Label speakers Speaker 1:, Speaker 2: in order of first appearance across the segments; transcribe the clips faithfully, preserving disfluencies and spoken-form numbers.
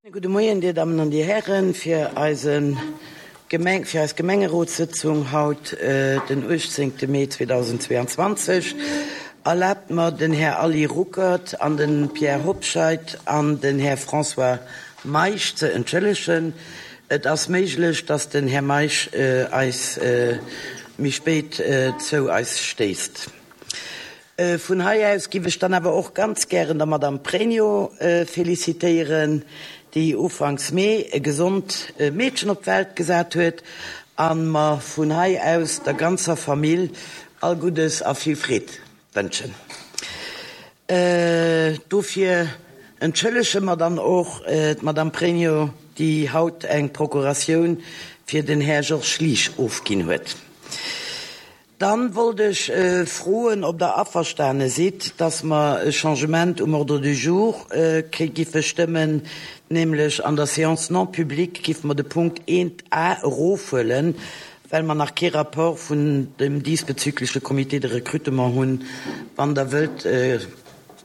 Speaker 1: Gudde Moien, Dir Dammen an Dir Hären, fir eise Gemeng, fir eis Gemengerotssëtzung haut, den uechtzéngte Mee zweedausendzweeanzwanzeg. Erlaabt mer, den Här Aly Ruckert an den Pierre Hobscheit an den Här François Meisch ze entschëllegen. Et ass méiglech, dass den Här Meisch eis méi spéit zou eis stéisst. Vun hei aus giff ech dann awer och ganz gären der Madame Pregno felicitéieren, déi ufanks Mee e gesond Meedchen op d'Welt gesat huet, a mer vun hei aus der ganzer Famill all Guddes a vill Freed wënschen. Dofir entschëllege mer dann och d'Madame Pregno, déi haut eng Procuratioun fir den Här Georges Liesch ofginn huet. Dann wollt ech froen, ob Der averstane sidd, dass mer e Changement um Ordre du jour giffe stëmmen, nämlech an der Séance non publique giffe mer de Punkt eent A erofhuelen, well mer nach kee Rapport vun dem diesbezügliche Comité de recrutement hunn. Wann Der wëllt,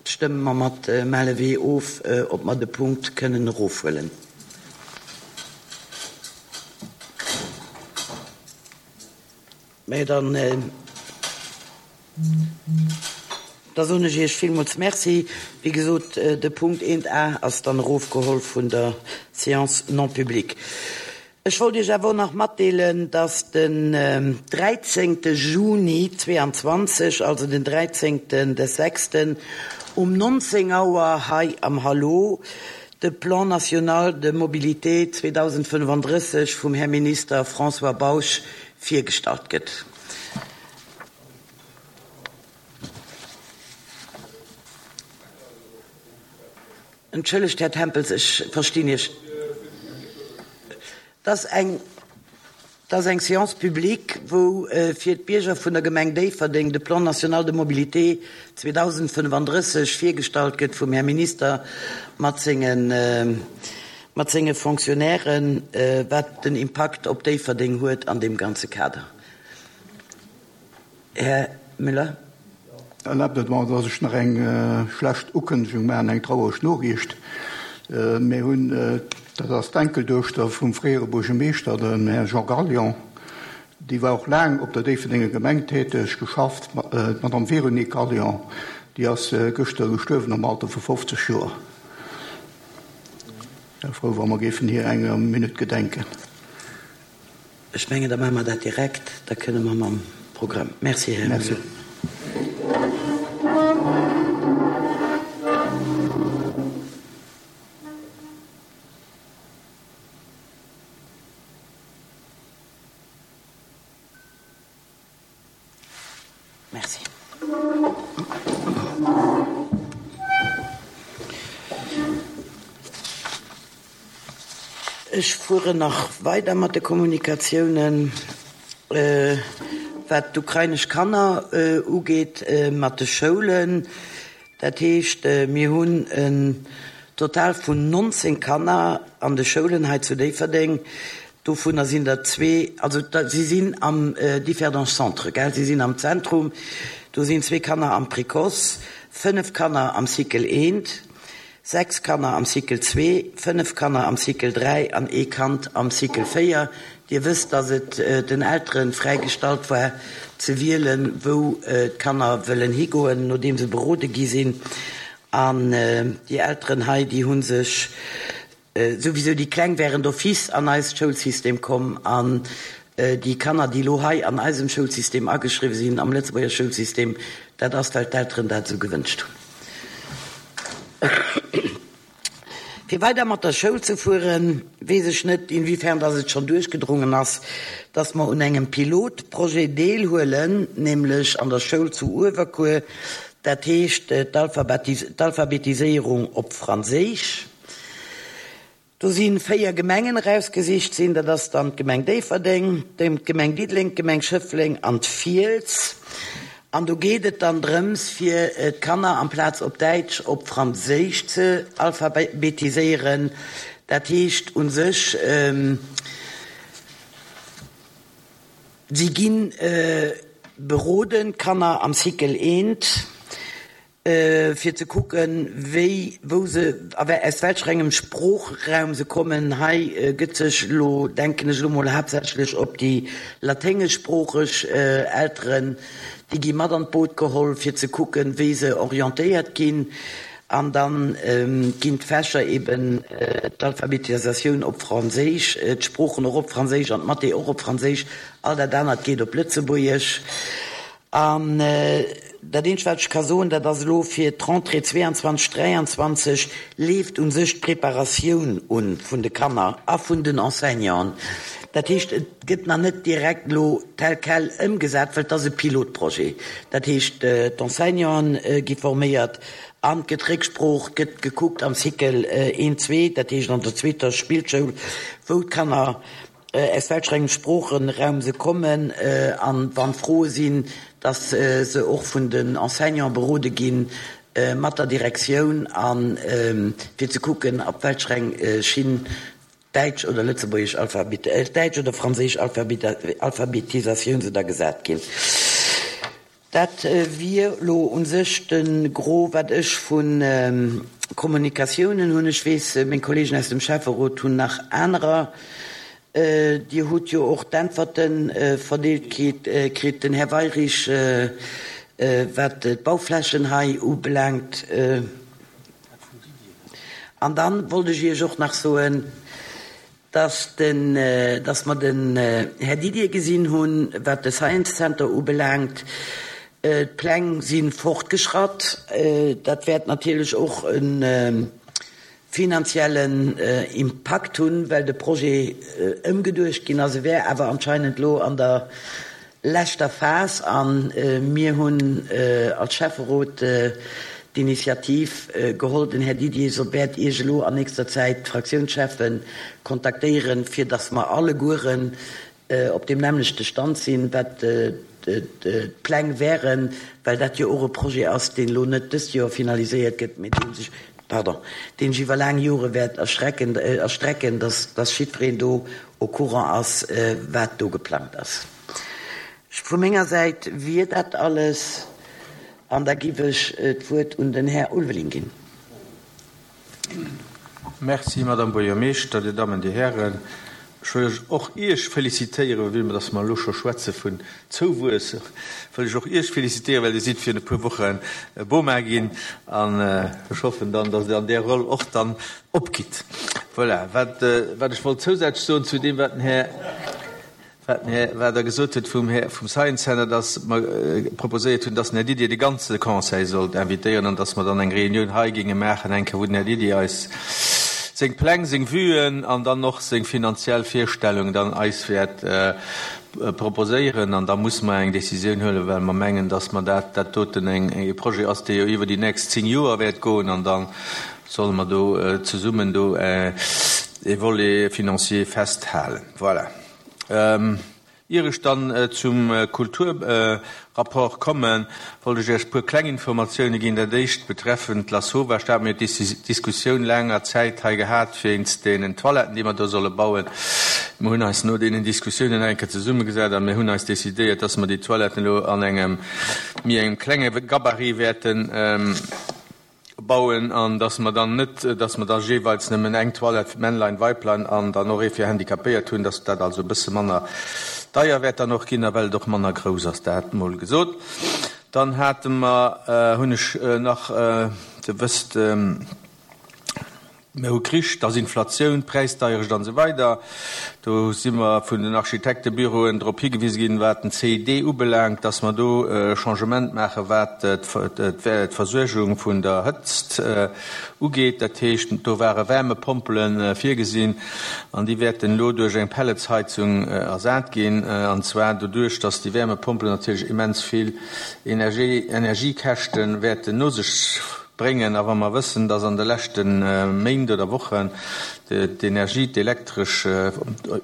Speaker 1: stëmme mer mat main levée of, ob mer de Punkt kënnen erofhuelen. Mä dann, da soen ech Iech villmools Merci. Wéi gesot, de Punkt eent A ass dann erofgeholl vun der Séance non publique. Ech wollt Iech awer och nach matdeelen, dass den dräizéngte Juni zweeanzwanzeg, also den dräizéngten des sechsten, um nonzéng Auer hei am Hallo de Plan national de mobilité zweedausendfënnefandrësseg vum Här Minister François Bausch virgestallt gëtt. Entschëllegt, Här Tempels, ech verstinn Iech. Dat ass eng, dat ass eng Séance publique, wou fir d'Bierger vun der Gemeng Déifferdeng de Plan national de mobilité zweedausendfënnefandrësseg virgestallt gëtt vum Här Minister mat sengen, mat senge Fonctionnairen, wat den Impakt op Déifferdeng huet an deem ganze Kader. Här Müller.
Speaker 2: Erlaabt et mer, dass ech nach eng schlecht Ukënnegung maachen, eng trauereg Noriicht. Mir hunn, dat ass d'Enkelduechter vum fréiere Buergermeeschter, dem Här Jean Gallion, déi war och laang op der Déifferdenger Gemeng täteg, geschafft, d'Madame Véronique Gallion, déi ass gëschter gestuerwen am Alter vu fofzeg Joer. Wär frou, wa mer géifen hir enger Minutt gedenken.
Speaker 1: Ech mengen, da maache mer dat direkt, da kënne mer mam Programm. Merci, Här Müller. Merci. Ech fueren nach weider mat de Kommunikatiounen, wat d'ukrainesch Kanner ugeet, mat de Schoulen. Dat heescht, mir hunn en Total vun nonzéng Kanner an de Schoulen hei zu Déifferdeng. Dovunner sinn der zwee, also si sinn am Differdange Centre, gell, si sinn am Zentrum. Do sinn zwee Kanner am Précoce, fënnef Kanner am Cycle eent, sechs Kanner am Cycle zwee, fënnef Kanner am Cycle dräi an ee Kand am Cycle véier. Dir wësst, dass et den Eltere fräigestallt war ze wielen, wou d'Kanner wëllen higoen, nodeem se berode gi sinn. An déi Elteren hei, déi hu sech souwisou, déi Kleng wären d'office an eist Schoulsystem komm, an déi Kanner, déi elo hei an eisem Schoulsystem ageschriwwen sinn, am Lëtzebuerger Schoulsystem, dat ass, well d'Elteren dat esou gewënscht hunn. Fir weider mat der Schoul ze fueren, weess ech net, inwiefern dass et schonn duerchgedrungen ass, dass mer un engem Pilotprojet deelhuelen, nämlech an der Schoul zu Uewerkuer, dat heescht d'Alphabetiséierung op Franséisch. Do si véier Gemengen erausgesicht sinn, dat ass dann d'Gemeng Déifferdeng, d'Gemeng Diddeleng, d'Gemeng Schëffleng an d'Fiels. An do geet et dann drëms, fir d'Kanner amplaz op Däitsch op Franséisch ze alphabetiséieren. Dat heescht u sech, si gi beroden, d'Kanner am Cycle eent, fir ze kucken, wéi, wou se, a aus welcher engem Sproochraum se kommen. Hei gëtt sech elo, denken ech elo mol, haaptsächlech op déi laténgeschsproocheg Elteren, déi gi mat an d'Boot geholl, fir ze kucken, wéi se orientéiert ginn. An da ginn d'Fächer eben d'Alphabetisatioun op Franséisch, d'Sproochen och op Franséisch an d'Mathé och op Franséisch, all dat anert geet op Lëtzebuergesch. An dat eenzegt, wat ech ka soen, dat ass elo fir d'Rentrée zweeanzwanzeg, dräianzwanzeg leeft u sech d'Preparatioun un vun de Kanner a vun den Enseignanten. Dat heescht, et gëtt nach net direkt elo tel quel ëmgesat, well et ass e Pilotprojet. Dat heescht, d'Enseignanten gi forméiert an et gëtt Récksprooch, gëtt gekuckt am Cycle een, zwee, dat heescht an der zweeter Spillschoul, wou d'Kanner aus welcher engem Sproochenraum se kommen an wann Froe sinn, dass se och vun den Enseignanten berode ginn mat der Direktioun an fir ze kucken, op welcher eng Schinn däitsch oder lëtzebuergesch Alphabet, däitsch oder franséisch Alphabetisatioun se da gesat ginn. Dat wier lo un sech de Gros, wat ech vu Kommunikatiounen hunn. Ech weess, meng Kollegen aus dem Schäfferot hunn nach anerer. Dir hutt jo och d'Äntwerte verdeelt kritt, den Här Weyrich, wat d'Bauflächen hei ubelaangt. An dann wollt ech Iech och nach soen, dass den, dass mer den Här Didier gesinn hunn, wat de Science Center ubelaangt. D'Pläng si fortgeschratt. Dat wäert natierlech och e finanziellen Impakt hunn, well de Projet ëmgeduecht ginn ass. E wär awer anscheinend elo an der leschter Phas a mir hunn als Schäfferot d'Initiativ geholl. Den Här Didier so wäert Iech elo an nächster Zäit d'Fraktiounschefe kontaktéieren, fir datt mer allegueren op deem nämmlechte Stand sinn, wat d'Pläng wären, well dat jo och e Projet ass, deen elo net dëst Joer finaliséiert gëtt, mee dee sech, pardon, deen sech iwwer laang Jore wäert erschrecken, erstrecken, dass, dass jiddwereen do au courant ass, wat do geplangt ass. Vu menger Säit wier dat alles an da giff ech d'Wuert un den Här Ulveling ginn.
Speaker 3: Merci, Madame Buergermeeschter, Dir Dammen, Dir Hären. Ech wëll och Iech félicitéieren, well dass mer elo scho schwätze vun Zouwuess, wëll ech och Iech félicitéieren, well Dir sidd virun e puer Woche Boma ginn an ech hoffen dann, dass Dir an där Roll och dann opgitt. Voilà, wat, wat ech wollt zousätzlech soen zu deem, wat den Här, wat den Här, wat Der gesot hutt vum Här, vum Science Center, dass mer proposéiert hunn, dass den Här Didier de ganze Conseil sollt invitéieren an dass mer dann eng Reunioun hei géinge maachen, eng Kéier, wou den Här Didier eis seng Pläng, seng Vuen an dann och seng finanziell Virstellung dann eis wäert proposéieren. An da musse mer eng Décisioun huelen, well mer mengen, dass mer dat, dat doten eng, e Projet ass, dee jo iwwer déi nächst zéng Joer wäert goen. An da solle mer do zesummen do e Volet financier festhalen. Voilà. Ier ech dann zum Kulturrapport kommen, wollt ech Iech e puer kleng Informatioune ginn. Dat éischt betreffend d'Lassova. Ech hat mir d'Diskussioun laanger Zäit hei gehat wéinst deenen Toiletten, déi mer do solle bauen. Mer hunn eis no deenen Diskussiounen eng Kéier zesummegesat a mir hunn eis decidéiert, dass mer déi Toiletten elo an engem méi engem klenge Gabarit wäerten bauen an dass mer dann net, dass mer da jeeweils nëmmen eng Toilette fir Männlein, Weiblein an dann och ee fir Handicapéiert hunn, dass dat also e bësse manner deier wäert dann och ginn a well et och manner grouss ass. Dat mol gesot. Dann hate mer, hunn ech nach, Dir wësst, mir hu Krich, et ass Inflatioun, Präisdeierecht an esou weider. Do si mer vun den Architektebüroen drop higewise ginn, wat den C I D ubelaangt, dass mer do e Changement maachen, wat d'Versuergung vun der Hëtzt ugeet. Dat heescht, do ware Wärmepompele virgesinn an déi wäerten elo duerch eng Pelletsheizung ersat ginn. An zwar doduerch, dass déi Wärmepompelen natierlech immens vill Energiekäschte wäerten no sech bréngen. A wa mer wëssen, dass an de leschte Méint oder Wochen d'Energie, d'Elektresch,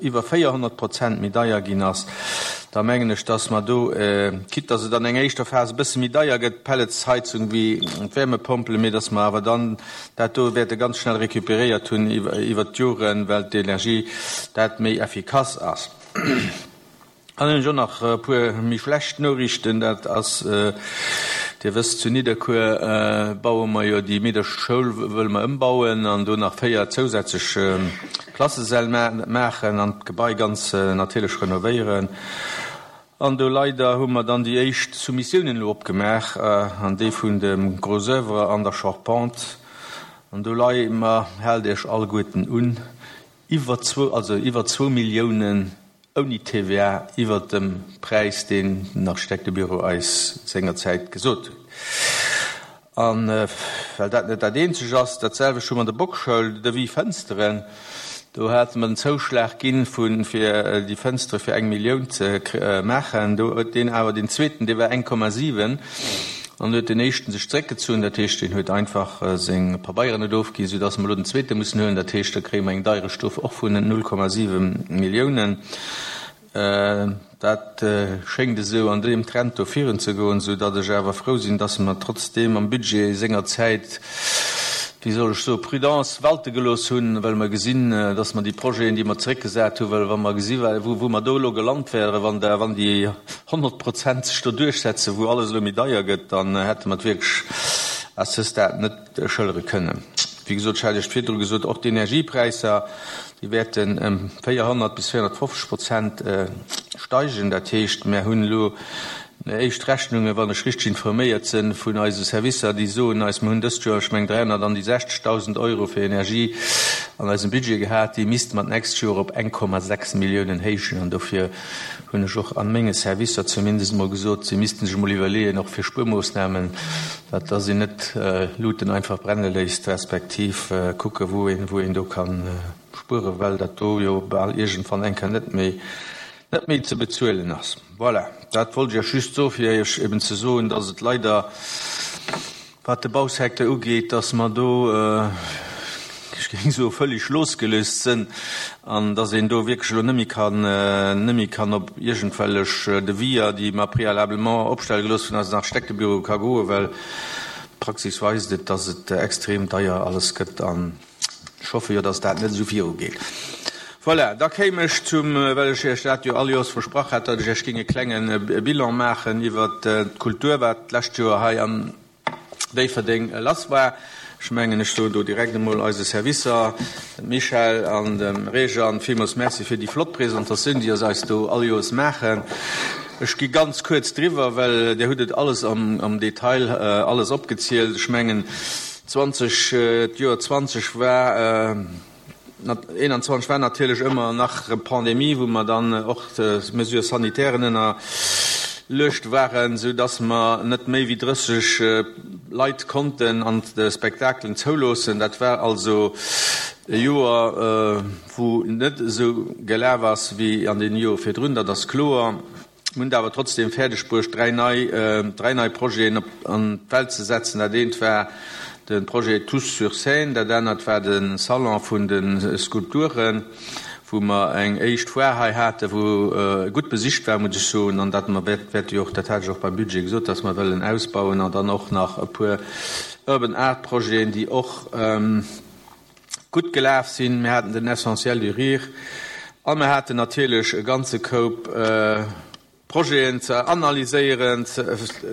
Speaker 3: iwwer véierhonnert Prozent méi deier ginn ass, da mengen ech, dass mer do, quitte dass et an enger éischter Phas e bësse méi deier gëtt, d'Pelletsheizung wéi d'Wärmepompele, mee dass mer awer dann dat do wäerte ganz schnell récupéréiert hunn iwwert d'Joren, well d'Energie dat méi effikass ass. Dann hunn ech och nach e puer méi schlecht Noriichten. Dat ass Dir wësst, zu Nidderkuer baue mer jo déi Meederchesschoul, wëlle mer ëmbauen an do nach véier zousätzlech Klassesäll maachen an d'Gebai ganz natierlech renovéieren. An do leider hu mer dann déi éischt Soumissiounen elo opgemaach, an déi vun dem Gros oeuvre an der Charpente. An do leie mer, haalt Iech alleguerten un, iwwer zwou, also iwwer zwou Milliounen ouni T V A iwwert dem Präis, deen den Architektebüro eis sengerzäit gesot huet. An well dat net dat eenzeg ass, dat selwecht hu mer an der Bockschoul, Devis Fënsteren. Do hate mer den Zouschlag ginn, fir déi Fënstere fir eng Millioun ze maachen. Do huet deen awer deen zweeten, dee war eng Komma siwen, an huet den éischten sech zréckgezunn, dat heescht, deen huet einfach seng Pabeieren net ofginn, soudass mer elo den zweete mussen huelen. Dat heescht, da kréie mer eng Deierecht do och vun null Komma siwe Milliounen. Dat schéngt esou an deem Trend do virun ze goen, soudatt ech awer frou sinn, dass mer trotzdeem am Budget sengerzäit, wéi soll ech soen, Prudence walte gelooss hunn, well mer gesinn, dass mer déi Projeten, déi mer zeréckgesat hunn, well wa mer gesi wou wou mer do elo gelant wären, wann da wann déi honnert Prozent sech do duerchsetzen, wou alles elo méi deier gëtt, dann hätte mer et wierklech à ce stade net schëllere kënnen. Wéi gesot, ech hat Iech virdru gesot, och d'Energiepräisser, déi wäerten ëm véierhonnert bis véierhonnertfofzeg Prozent steigen. Dat heescht, mir hunn elo éischt Rechnungen, wann ech richteg informéiert sinn, vun eise Servicer, déi soen eis, mir hunn dëst Joer, ech mengen, dräihonnertsechzegdausend Euro fir Energie an eisem Budget gehat, déi misste mer d'nächst Joer op eng Komma sechs Milliounen héichen. An dofir hunn ech och an menge Servicer zumindest emol gesot, si missten sech emol iwwerleeën, och fir Spuermoossnamen, dat dass een net Luten einfach brenne léisst, respektiv kucke wou een, wou een do kann spueren, well dat do jo bal iergendwann eng Kéier net méi, net méi ze bezuelen ass. Voilà, dat wollt ech Iech just soen, fir Iech eben ze soen, dass et leider, wat de Bausecteur ugeet, dass mer do, ech géing soen, völlig losgelöst sinn an dass een do wierklech elo net méi kann, net méi kann op iergendwellech Deviser, déi mer préalablement opstelle gelooss vun eisen Architektebüroe, ka goen, well d'Praxis weist et, dass et extrem deier alles gëtt, an ech hoffe jo, dass dat net esou virugeet. Voilà, da kéim ech zum, well ech Iech dat jo all Joers versprach hat, datt ech Iech géing e klenge Bilan maachen iwwert d'Kultur, wat d'lescht Joer hei an Déifferdeng lass war. Ech mengen, ech soen do direkt emol eise Servicer, dem Michel an dem Réjean, villmools Merci fir déi flott Presentatioun, déi se eis do all Joers maachen. Ech gi ganz kuerz driwwer, well Dir hutt et alles am, am Detail alles opgezielt. Ech mengen, zwanzeg, d'Joer zwanzeg war, eenanzwanzeg war natierlech ëmmer nach Pandemie, wou mer dann och Mesures sanitairen ënnerluecht waren, sou dass mer net méi wéi drësseg Leit konnten an de Spektakelen zouloossen. Dat war also e Joer, wou net esou gelaf ass wéi an den Jore virdrun, dat ass kloer. Mir hunn et awer trotzdem fäerdeg bruecht, dräi nei, dräi nei Projeten op an d'Welt ze setzen. Dat eent war de Projet Tous sur scène, dat anert war de Salon vun de Skulpturen, wou mer eng éischt Foire hei haten, wou gutt besicht war, muss ech soen, an dat mer wäerte jo och, dat hat ech och beim Budget gesot, dass mer wëllen ausbauen, an dann och nach e puer Urban Art Projeten, déi och gutt gelaf sinn. Mir haten den Essentiel du Rire a mir haten natierlech e ganze Koup Projeten ze analyséieren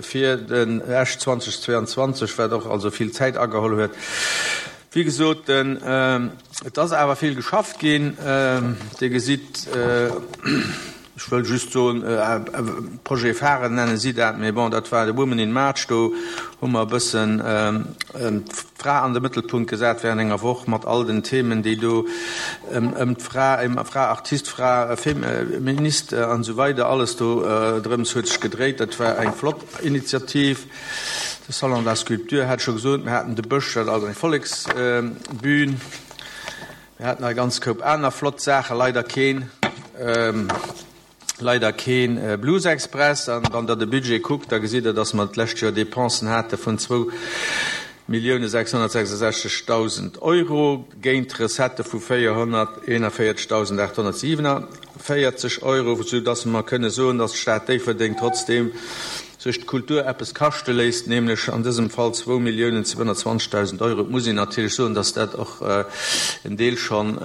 Speaker 3: fir den Esch zweitausendzweiundzwanzeg, wat och also vill Zäit ageholl huet. Wéi gesot, den, et ass awer vill geschafft ginn. Dir gesitt, ech wëll just soen, Projet phare nenne si dat, mee bon, dat war de Women in March. Do hu mer e bëssen d'Fra an de Mëttelpunkt gesat während enger Woch mat all den Themen, déi do ëm d'Fra, ëm Fra Artist, Fra Feminist an esou weider, alles do drëms huet sech gedréit. Dat war eng flott Initiativ. De Salon de la Sculpture hat ech scho gesot. Mir haten de Bësch, dat ass eng Volleksbühn. Mir haten nach e ganz Koup aner flott Saachen, leider keen, leider keen Blues Express. An wann Der de Budget kuckt, da gesitt Der, dass mer d'lescht Joer Dépensen hate vun zwou Millioune sechshonnertsechsesechzegdausend Euro géint Recettë vu véierhonnerteeënvéierzegdausendaathonnertsiewenevéierzeg Euro, soudass mer kënne soen, dass d'Stad Déifferdeng trotzdeem sech d'Kultur eppes kaschte léisst, nämlech an dësem Fall zwou Milliounen zweehonnertzwanzegdausend Euro. Et muss een natierlech soen, dass dat och en Deel schonn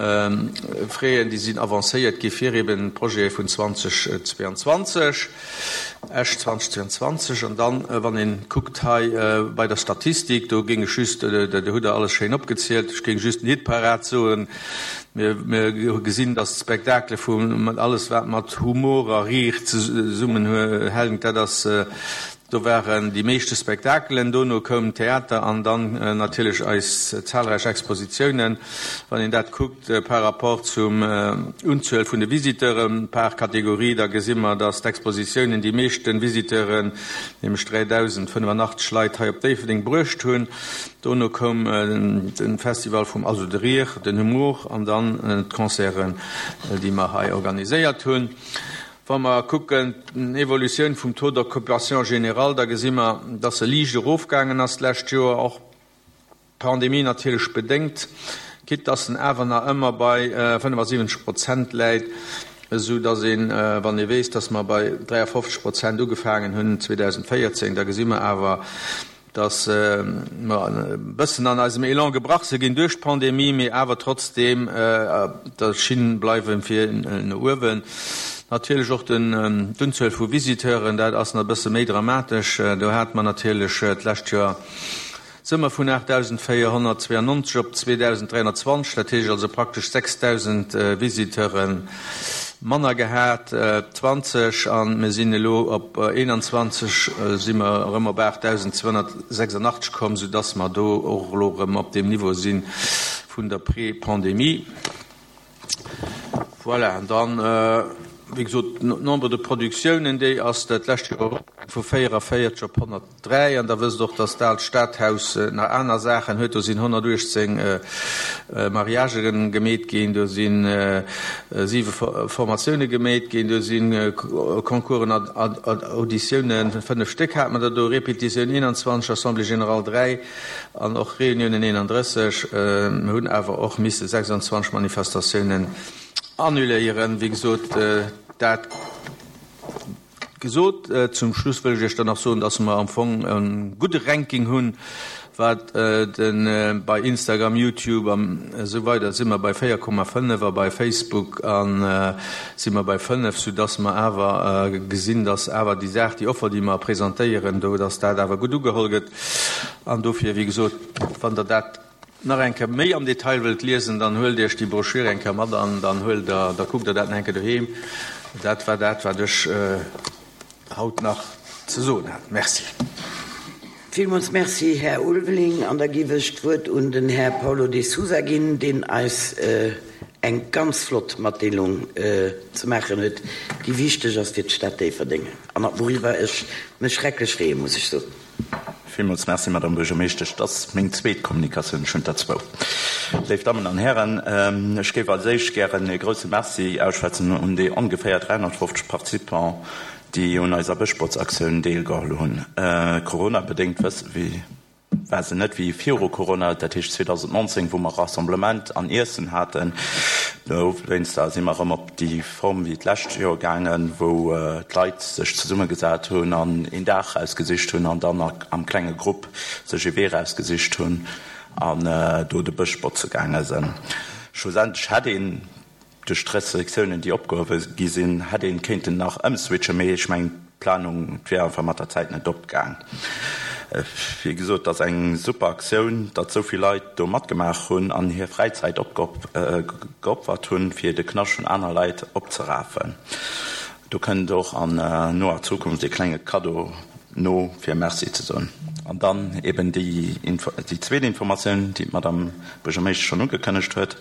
Speaker 3: Fräen, déi sinn avancéiert gi fir eben d'Projete vun zweitausendzweiundzwanzeg. Esch zweitausendzweiundzwanzeg. An dann, wann een kuckt hei bei der Statistik, do géing ech just, do hutt Der alles schéin opgezielt, ech géing just den Hitparad soen, mir, mir gesinn, dass d'Spektakele vu alles wat mat Humor a Rire zesummenhänkt, dat ass, do waren déi meeschte Spektakelen, dono koum Theater an dann natierlech eis zahlreich Expositiounen. Wann een dat kuckt par rapport zum Unzuel vun de Visiteuren par Kategorie, da gesi mer, dass d'Expositiounen déi meeschte Visiteuren, nämlech dräidausendfënnefanachteg Leit, hei op Déifferdeng bruecht hunn. Dono koum de Festival vum, also de Rire, den Humour an dann d'Concerten, déi mer hei organiséiert hunn. Wa mer kucken d'Evolutioun vum Taux d'occupation générale, da gesi mer, dass e liicht erofgaangen ass d'lescht Joer, och Pandemie natierlech bedéngt, quitte dass en awer nach ëmmer bei fënnefasiwwenzeg Prozent läit, esou dass een, wann ee weess, dass mer bei dräiafofzeg Prozent ugefaangen hunn zweedausendvéierzéng, da gesi mer awer, dass mer e bëssen an eisem Elan gebrach si ginn duerch d'Pandemie, mee awer trotzdeem op der Schinn bleiwe fir no uewen. Natierlech och d'Unzuel vu Visiteuren, dat ass nach e bësse méi dramatesch. Do hate mer natierlech d'lescht Joer si mer vun aachtdausendvéierhonnertzweiannonzeg op zweedausenddräihonnertzwanzeg, dat heescht also praktesch sechsdausend Visiteure manner gehat, zwanzeg, a mir sinn elo op eenanzwanzeg, si mer erëm op aachtdausendzweihonnertsechsundachtzeg komm, soudass mer do och elo erëm op deem Niveau si vun der Pré-Pandemie. Voilà, an dann, wéi gesot, d'Nombre de Productiounen, déi ass dat lescht Joer eropgaangen vu véierevéierzeg op honnertdräi. An Der wësst och, dass d'Aalt Stadhaus nach aner Saachen huet. Do sinn honnertuechtzéng Mariagë gemeet ginn, do si siwe Formatioune gemeet ginn, do si Concoursen an Auditiounen, fënnef Stéck hate mer der do, Repetitioun eenanzwanzeg, Assemblée générale dräi an och Reuniounen eenandrësseg. Mir hunn awer och misse sechsundzwanzeg Manifestatiounen annuléieren. Wéi gesot, dat gesot. Zum Schluss wëll ech Iech dann nach soen, dass mer am Fong e gudde Ranking hunn, wat de bei Instagram, YouTube an esou weider si mer bei véier Komma fënnef a bei Facebook a si mer bei fënnef, soudass mer awer gesinn, dass awer déi Saach, déi Offer, déi mer presentéieren do, dass dat awer gutt ugeholl gëtt. An dofir, wéi gesot, wann Der dat nach eng Kéier méi am Detail wëllt liesen, dann huelt Iech déi Broschür eng Kéier mat an dann huelt Der, da kuckt Der dat nach eng Kéier doheem. Dat war dat, wat ech haut nach ze soen hat. Merci.
Speaker 1: Villmools Merci, Här Ulveling. An da géif ech d'Wuert un den Här Paulo de Sousa ginn, deen eis eng ganz flott Matdeelung ze maachen huet, déi wichteg ass fir d'Stad Déifferdeng an wouriwwer ech mech schrecklech freeën, muss ech soen.
Speaker 4: Villmools Merci, Madame Buergermeeschtesch. Dat ass meng zweet Kommunikatioun, ech hunn der zwou. Léif Dammen an Hären, ech géif als éischt gären e grouse Merci ausschwätzen un déi ongeféier dräihonnertfofzeg Participants, déi un eiser Bëschbotzaktioun deelgeholl hunn. Corona-bedéngt wësse wéi war se net wéi viru Corona, dat heescht zweedausendnonzéng, wou mer Rassemblement an Iessen haten. Dowéinster si mer erëm op déi Form wéi d'lescht Joer gaangen, wou d'Leit sech zesummegesat hunn an een Dag rausgesicht hunn an dann am klenge Grupp sech ee Wee rausgesicht hunn an do de Bësch botze gaange sinn. Schlussendlech hätt een duerch d'Restriktiounen, déi opgehuewe gi sinn, hätt een kéinten nach ëmswitchen, mee ech mengen, d'Planung, d'wier einfach mat der Zäit net opgaang. Wéi gesot, et ass eng super Aktioun, datt esou vill Leit do matgemaach hunn an hir Fräizäit geopfert hunn, fir de Knascht vun aner Leit opzerafen. Do kënnt och an noer Zukunft e klenge Kaddo no, fir Merci ze soen. An dann eben déi zweet Informatioun, déi d'Madame Buergermeeschtesch schonn ugekënnegt huet.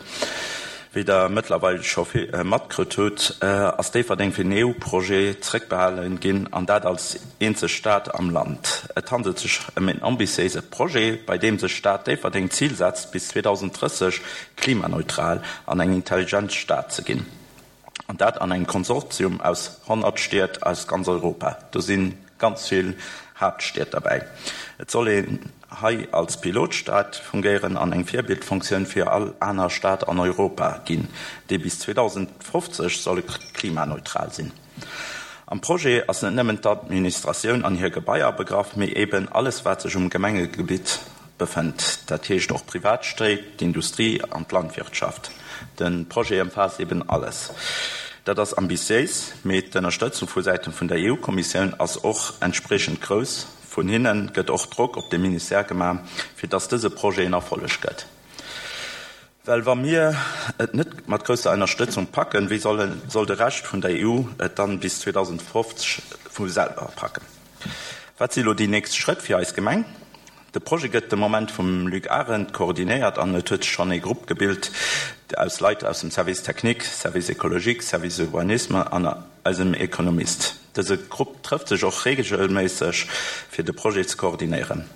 Speaker 4: Wéi Der mëttlerweil scho matkritt hutt, ass Déifferdeng fir den E U-Projet zréckbehale ginn, an dat als eenzeg Stad am Land. Et handelt sech ëm en ambitiéise Projet, bei deem sech d'Stad Déifferdeng d'Zil setzt, bis zweedausendrësseg klimaneutral an eng intelligent Stad ze ginn. An dat an engem Konsortium aus honnert Stied aus ganz Europa. Do si ganz vill Haaptstied derbäi. Et soll een hei als Pilotstad fungéieren an eng Virbildfunktioun fir all aner Stad an Europa ginn, déi bis zweedausendfofzeg solle klimaneutral sinn. Am Projet ass net nëmmen d'Administratioun an hir Gebaier begraff, mee eben alles wat sech um Gemengegebitt befënnt, dat heescht och Privatstéit, d'Industrie an d'Landwirtschaft. De Projet ëmfaasst eben alles. Dat ass ambitiéis, mee d'Ënnerstëtzung vu Säite vun der E U-Kommissioun ass och entspriechend grouss. Vun hinne gëtt och Drock op de Ministère gemaach, fir dass dëse Projet en Erfolleg gëtt. Well wa mir et net mat grousser Ënnerstëtzung packen, wéi soll, soll de Rescht vun der E U et dann bis zweedausendfofzeg vu selwer packen? Wat si lo déi nächst Schrëtt fir eis Gemeng? De Projet gëtt de Moment vum Luc Arendt koordinéiert an et huet schonn e Grupp gebilt aus Leit aus dem Service technique, Service écologique, Service Urbanisme an eisem Ekonomist. Dëse Grupp trëfft sech och reegelméisseg fir de Projet ze koordinéieren.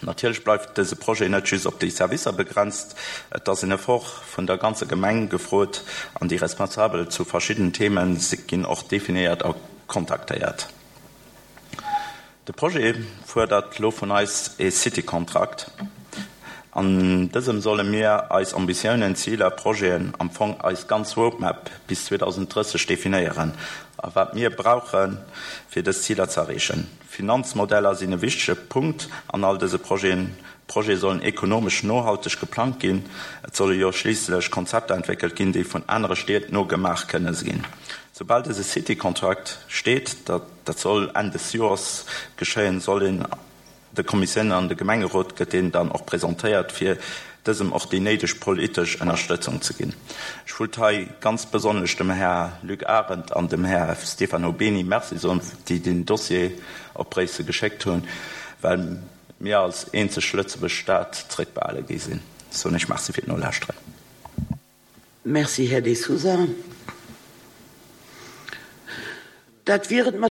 Speaker 4: Natierlech bleift dëse Projet net just op déi Servicer begrenzt, et ass en Effort vun der ganzer Gemeng gefrot an déi Responsabel zu verschiddenen Themen ginn och definéiert a kontaktéiert. De Projet fuerdert lo vun eis e City-Kontrakt. An dësem solle mir eis Ambitiounen, Ziler, Projeten, am Fong eis ganz Roadmap bis zweedausenddrësseg definéieren a wat mir brauchen, fir dës Ziler ze erreechen. Finanzmodeller sinn e wichtege Punkt an all dëse Projeten. Projete sollen ekonomesch nohalteg geplangt ginn. Et solle jo schliisslech Konzepter entwéckelt ginn, déi vun anere Stied nogemaach kënne ginn. Soubal dëse City-Kontrakt steet, dat, dat soll Enn des Joers geschéien, soll een de Kommissiounen an de Gemengerot gëtt deen dann och presentéiert, fir dësem och déi néideg politesch Ënnerstëtzung ze ginn. Ech wëllt hei ganz besonnesch dem Här Luc Arendt an dem Här Stefano Beni Merci soen, déi den Dossier op Bréissel geschéckt hunn, well mir als eenzeg Lëtzebuerg Stad zréckbehale gi sinn. Soen ech Merci fir d'Nolauschteren.
Speaker 1: Merci, Här De Sousa. Dat wier et mat